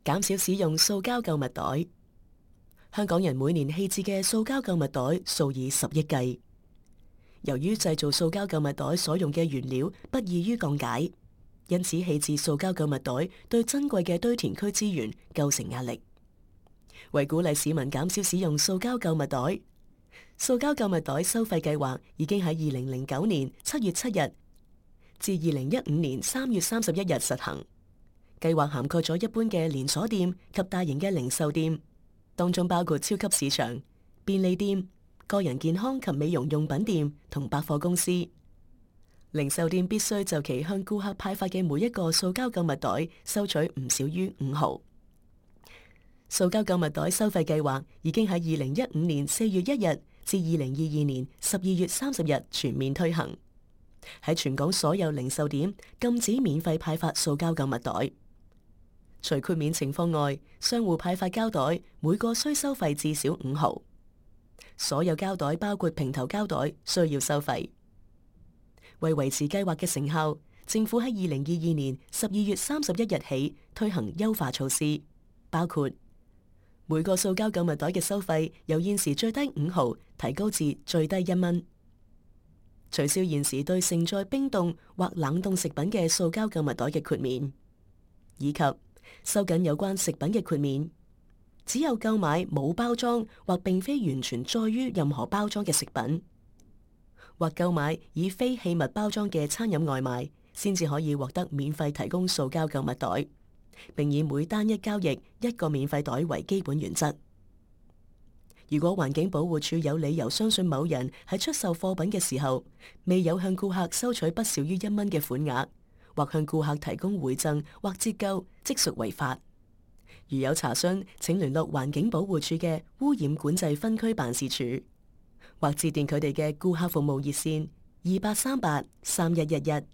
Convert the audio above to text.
減少使用塑膠購物袋。香港人每年棄置嘅塑膠購物袋數以10億計。由於製造塑膠購物袋所用嘅原料不易於降解，因此棄置塑膠購物袋對珍貴嘅堆填區資源構成壓力。為鼓勵市民減少使用塑膠購物袋，塑膠購物袋收費計劃已經喺2009年7月7日至2015年3月31日實行。計劃涵蓋咗一般嘅連鎖店及大型嘅零售店，當中包括超級市場、便利店、個人健康及美容用品店同百貨公司。零售店必須就其向顧客派發嘅每一個塑膠購物袋收取唔少於5毫。塑膠購物袋收費計劃已經喺2015年4月1日至2022年12月30日全面推行，喺全港所有零售店禁止免費派發塑膠購物袋。除豁免情況外，商戶派發膠袋每個需收費至少5毫。所有膠袋包括平頭膠袋需要收費。為維持計劃嘅成效，政府喺2022年12月31日起推行優化措施，包括每個塑膠購物袋嘅收費由現時最低5毫提高至最低1蚊，取消現時對盛載冰凍或冷凍食品嘅塑膠購物袋嘅豁免，以及收緊有關食品嘅豁免，只有購買冇包裝或並非完全載於任何包裝嘅食品，或購買以非器物包裝嘅餐飲外賣，先至可以獲得免費提供塑膠購物袋，並以每單一交易1個免費袋為基本原則。如果環境保護署有理由相信某人喺出售貨品嘅時候，未有向顧客收取不少於1蚊嘅款額，或向顧客提供回贈或折扣，即屬違法。如有查詢，請聯絡環境保護署嘅污染管制分區辦事處，或致電佢哋嘅顧客服務熱線28383111。